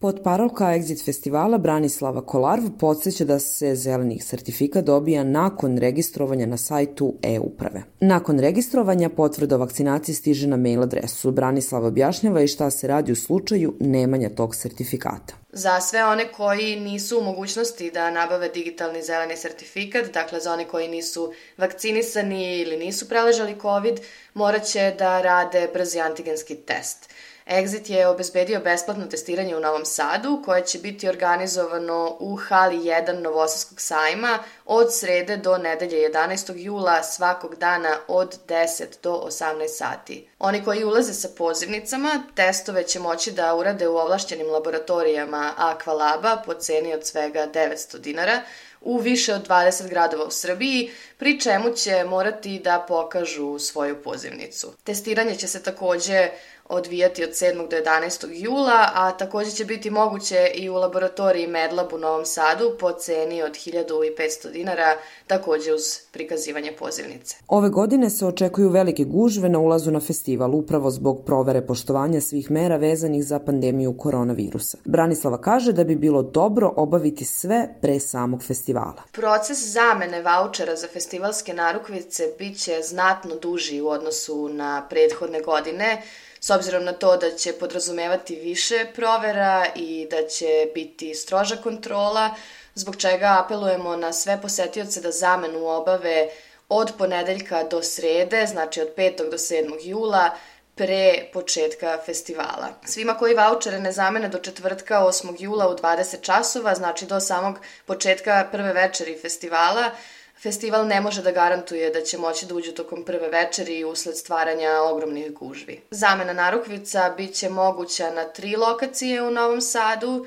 Potparolka Exit festivala Branislava Kolarv podsjeća da se zeleni sertifikat dobija nakon registrovanja na sajtu e-uprave. Nakon registrovanja potvrda o vakcinaciji stiže na mail adresu. Branislava objašnjava i šta se radi u slučaju nemanja tog sertifikata. Za sve one koji nisu u mogućnosti da nabave digitalni zeleni sertifikat, dakle za one koji nisu vakcinisani ili nisu preležali COVID, morat će da rade brzi antigenski test. Exit je obezbedio besplatno testiranje u Novom Sadu, koje će biti organizovano u hali 1 Novosadskog sajma od srede do nedelje 11. jula svakog dana od 10 do 18 sati. Oni koji ulaze sa pozivnicama, testove će moći da urade u ovlašćenim laboratorijama Aqualaba po ceni od svega 900 dinara, u više od 20 gradova u Srbiji, pri čemu će morati da pokažu svoju pozivnicu. Testiranje će se takođe odvijati od 7. do 11. jula, a takođe će biti moguće i u laboratoriji Medlab u Novom Sadu po ceni od 1500 dinara, takođe uz prikazivanje pozivnice. Ove godine se očekuju velike gužve na ulazu na festival, upravo zbog provere poštovanja svih mera vezanih za pandemiju koronavirusa. Branislava kaže da bi bilo dobro obaviti sve pre samog festivala. Proces zamene vaučera za festivalske narukvice biće znatno duži u odnosu na prethodne godine, s obzirom na to da će podrazumevati više provera i da će biti stroža kontrola, zbog čega apelujemo na sve posetioce da zamenu obave od ponedeljka do srede, znači od 5. do 7. jula, pre početka festivala. Svima koji vaučere ne zamene do četvrtka 8. jula u 20 časova, znači do samog početka prve večeri festivala, festival ne može da garantuje da će moći da uđu tokom prve večeri usled stvaranja ogromnih gužvi. Zamena narukvica biće moguća na 3 lokacije u Novom Sadu,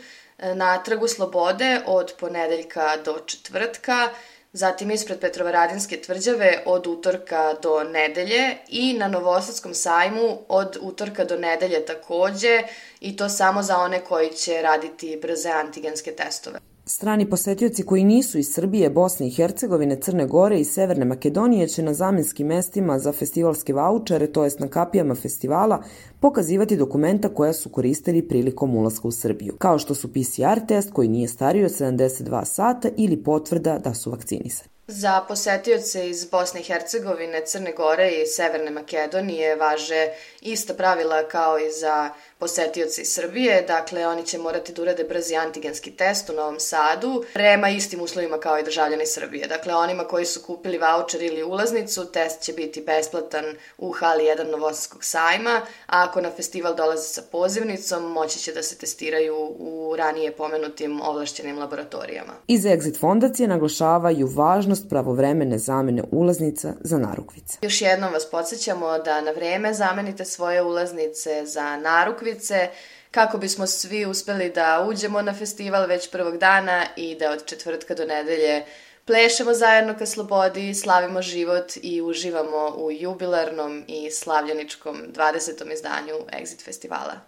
na Trgu Slobode od ponedeljka do četvrtka, zatim ispred Petrovaradinske tvrđave od utorka do nedelje i na Novosadskom sajmu od utorka do nedelje takođe, i to samo za one koji će raditi brze antigenske testove. Strani posetioci koji nisu iz Srbije, Bosne i Hercegovine, Crne Gore i Severne Makedonije će na zamenskim mestima za festivalske vaučere, to jest na kapijama festivala, pokazivati dokumenta koja su koristili prilikom ulaska u Srbiju, kao što su PCR test koji nije stariji od 72 sata ili potvrda da su vakcinisani. Za posetioce iz Bosne i Hercegovine, Crne Gore i Severne Makedonije važe ista pravila kao i za posetioce iz Srbije, dakle oni će morati da urade brzi antigenski test u Novom Sadu prema istim uslovima kao i državljani Srbije. Dakle, onima koji su kupili vaučer ili ulaznicu, test će biti besplatan u hali 1 Novosadskog sajma, a ako na festival dolaze sa pozivnicom, moći će da se testiraju u ranije pomenutim ovlašćenim laboratorijama. Iz Exit fondacije naglašavaju važnost pravovremene zamene ulaznica za narukvice. Još jednom vas podsjećamo da na vreme zamenite svoje ulaznice za narukvice kako bismo svi uspeli da uđemo na festival već prvog dana i da od četvrtka do nedelje plešemo zajedno ka slobodi, slavimo život i uživamo u jubilarnom i slavljeničkom 20. izdanju Exit festivala.